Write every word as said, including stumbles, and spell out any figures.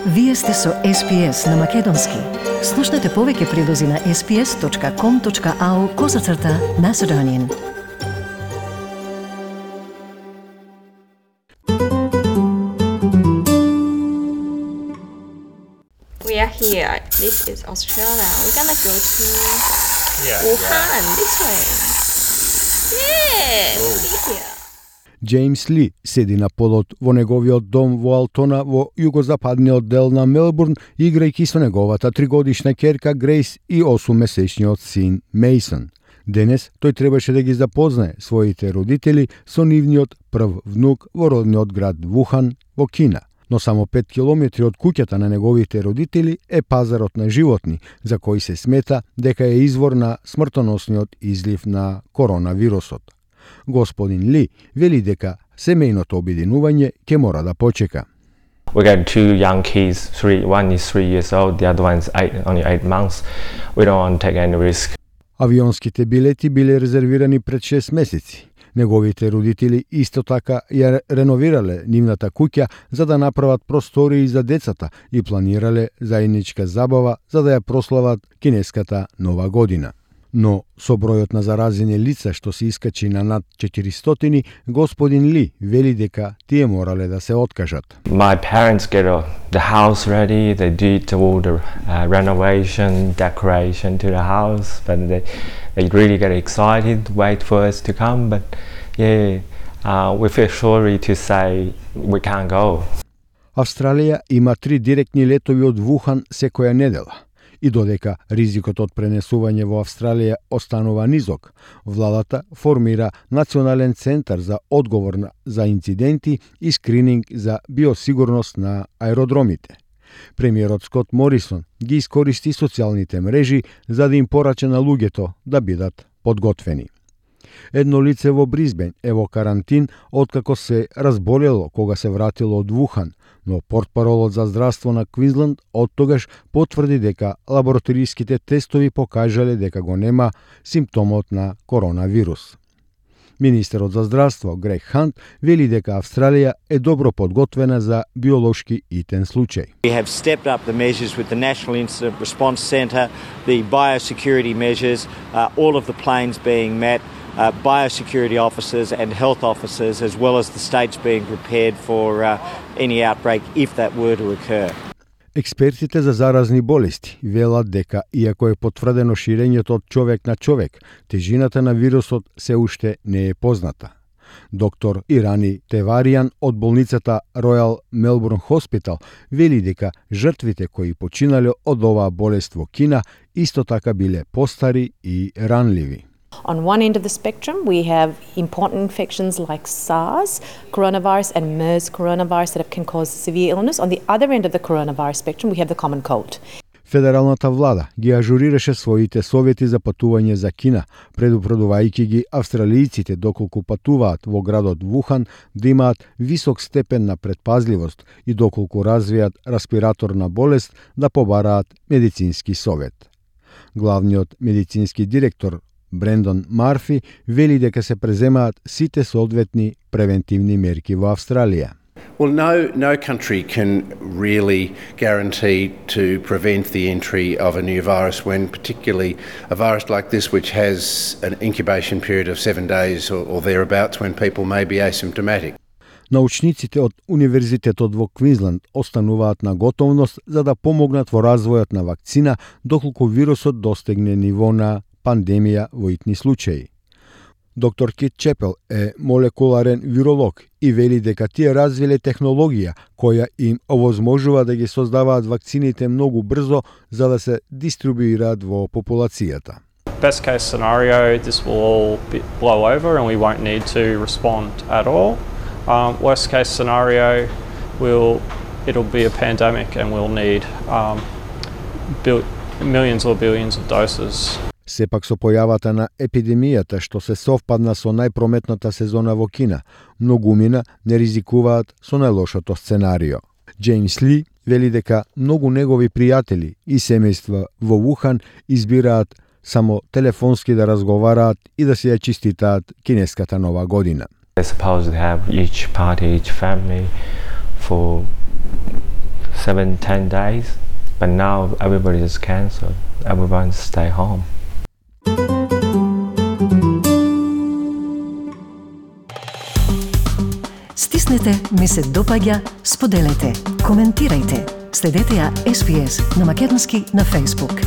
Вие сте со Ес Пи Ес на Македонски. Слушнете повеќе прилози на ес пи ес точка ком точка ау козацрта Macedonian. We are here. This is Australia. We're gonna go to Yeah, Wuhan this way. Yeah, Oh. we're here. Джеймс Ли седи на полот во неговиот дом во Алтона во југозападниот дел на Мелбурн, играјќи со неговата тригодишна ќерка Грейс и осуммесечниот син Мејсон. Денес тој требаше да ги запознае своите родители со нивниот прв внук во родниот град Вухан во Кина. Но само пет километри од куќата на неговите родители е пазарот на животни, за кој се смета дека е извор на смртоносниот излив на коронавирусот. Господин Ли вели дека семејното обединување ќе мора да почека. We got two young kids. Three, one is three years old. The other one's eight, only eight months. We don't want to take any risk. Авионските билети биле резервирани пред шест месеци. Неговите родители исто така ја реновирале нивната куќа за да направат простории за децата и планирале заедничка забава за да ја прослават кинеската нова година. Но со бројот на заразени лица што се искачи на над четиристотини, господин Ли вели дека тие морале да се откажат. My parents get uh, the house ready. They did all the uh, renovation, decoration to the house, but they they really get excited, wait for us to come. But yeah, uh, we feel sorry to say we can't go. Австралија има три директни летови од Вухан секоја недела. И додека ризикот од пренесување во Австралија останува низок, владата формира Национален центар за одговор за инциденти и скрининг за биосигурност на аеродромите. Премиерот Скот Морисон ги искористи социјалните мрежи за да им порача на луѓето да бидат подготвени. Едно лице во Бризбен е во карантин откако се разболело кога се вратило од Вухан, но портпаролот за здравство на Квинсленд оттогаш потврди дека лабораториските тестови покажале дека го нема симптомот на коронавирус. Министерот за здравство Грег Хант вели дека Австралија е добро подготвена за биолошки итен случај. We have stepped up the measures with the National Incident Response Centre, the biosecurity measures, uh, all of the planes being met, uh, biosecurity officers and health officers, as well as the states being prepared for uh, any outbreak if that were to occur. Експертите за заразни болести велат дека, иако е потврдено ширењето од човек на човек, тежината на вирусот се уште не е позната. Доктор Ирани Теваријан од болницата Royal Melbourne Hospital вели дека жртвите кои починале од оваа болест во Кина исто така биле постари и ранливи. On one end of the spectrum, we have important infections like SARS coronavirus and MERS coronavirus that can cause severe illness. On the other end of the coronavirus spectrum, we have the common cold. Федералната влада ги ажурираше своите совети за патување за Кина, предупредувајќи ги австралијците доколку патуваат во градот Вухан да имаат висок степен на предпазливост и доколку развијат респираторна болест да побараат медицински совет. Главниот медицински директор Брендон Марфи вели дека се преземаат сите соодветни превентивни мерки во Австралија. Well, no, no country can really guarantee to prevent the entry of a new virus when particularly a virus like this which has an incubation period of seven days or, or thereabouts when people may be asymptomatic. Научниците од Универзитетот во Квинсленд остануваат на готовност за да помогнат во развојот на вакцина доколку вирусот достигне ниво на пандемија во итни случаи. Доктор Кит Чепел е молекуларен виролог и вели дека тие развиле технологија која им овозможува да ги создаваат вакцините многу брзо за да се дистрибуираат во популацијата. Best case scenario, this will all be, blow over and we won't need to respond at all. Um, worst case scenario, we'll, it'll be a pandemic and we'll need um, bil- millions or billions of doses. Сепак со појавата на епидемијата што се совпадна со најпрометната сезона во Кина, многумина не ризикуваат со најлошото сценарио. Джеймс Ли вели дека многу негови пријатели и семејства во Вухан избираат само телефонски да разговараат и да се ја честитаат кинеската нова година. They're supposed to have each party, each family for seven, ten days. But now everybody is cancelled. Everyone stay home. Стиснете, ми се допаѓа, споделете, коментирајте. Следете ја Ес Би Ес на македонски на Facebook.